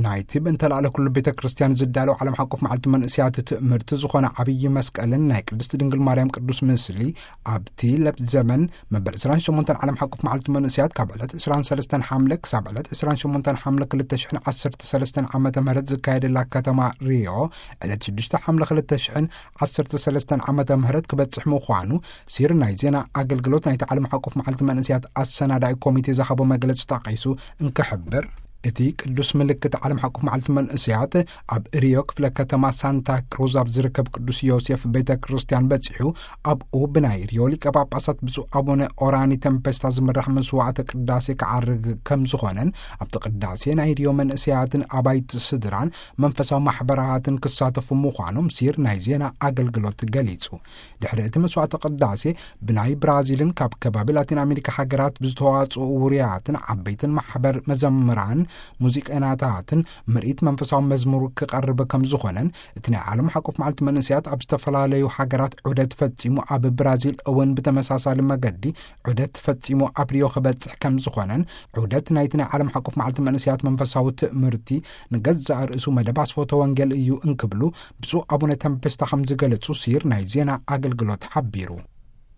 ናይቲ ብእንተ ላዕለ ኩሉ ቤተ ክርስቲያን ዝዳለው ዓለም ሓቆፍ መዓልቲ መንእስያት ትእምርቲ ዝኾነ ዓብዪ መስቀልን ናይ ቅድስት ድንግል ማርያም ቅዱስ ምስሊ ኣብቲ ለብ ዘመን መበል ዕስራን ሸሞንተን ዓለም ሓቆፍ መዓልቲ መንእስያት ካብ ዕለት ዕስራን ሰለስተን ሓምለ ክሳብ ዕለት ዕስራን ሸሞንተን ሓምለ ክልተ ሽሕን ዓሰርተ ሰለስተን ዓመተ ምህረት ዝካየደላ ከተማ ሪዮ ዕለት ሽዱሽተ ሓምለ ክልተ ሽሕን ዓሰርተ ሰለስተን ዓመተ ምህረት ክበጽሕ ምዃኑ ሲር ናይ ዜና ኣገልግሎት ናይቲ ዓለም ሓቆፍ መዓልቲ መንእስያት ኣሰናዳኢ ኮሚቴ ዝሃቦ መግለጺ ጠቒሱ እንክሕብር፣ እቲ ቅዱስ ምልክት ዓለም ሓቆፍ መዓልቲ መንእስያት ኣብ ሪዮ ክፍለ ከተማ ሳንታ ክሩዝ ኣብ ዝርከብ ቅዱስ ዮሴፍ ቤተ ክርስቲያን በጺሑ፣ ኣብኡ ብናይ ሪዮ ሊቀ ጳጳሳት ብፁዕ ኣቡነ ኦራኒ ተምፔስታ ዝምራሕ መስዋዕተ ቅዳሴ ክዓርግ ከም ዝኾነን፣ ኣብቲ ቅዳሴ ናይ ሪዮ መንእስያትን ኣባይቲ ስድራን መንፈሳዊ ማሕበራትን ክሳተፉ ምዃኖም ሲር ናይ ዜና ኣገልግሎት ገሊጹ። ድሕሪ እቲ መስዋዕተ ቅዳሴ ብናይ ብራዚልን ካብ ከባቢ ላቲን ኣሜሪካ ሃገራት ብዝተዋጽኡ ውሩያትን ዓበይትን ማሕበር መዘምራን፣ ሙዚቀኛታትን ምርኢት መንፈሳዊ መዝሙር ክቐርብ ከም ዝኾነን፣ እቲ ናይ ዓለም ሓቆፍ መዓልቲ መንእስያት ኣብ ዝተፈላለዩ ሃገራት ዑደት ፈጺሙ ኣብ ብራዚል እውን ብተመሳሳሊ መገዲ ዑደት ፈጺሙ ኣብ ሪዮ ክበጽሕ ከም ዝኾነን፣ ዑደት ናይቲ ናይ ዓለም ሓቆፍ መዓልቲ መንእስያት መንፈሳዊ ትእምርቲ ንገዛእ ርእሱ መደብ ኣስፎተ ወንጌል እዩ እንክብሉ ብፁዕ ኣቡነ ተምፔስታ ከም ዝገለጹ ሲር ናይ ዜና ኣገልግሎት ሓቢሩ።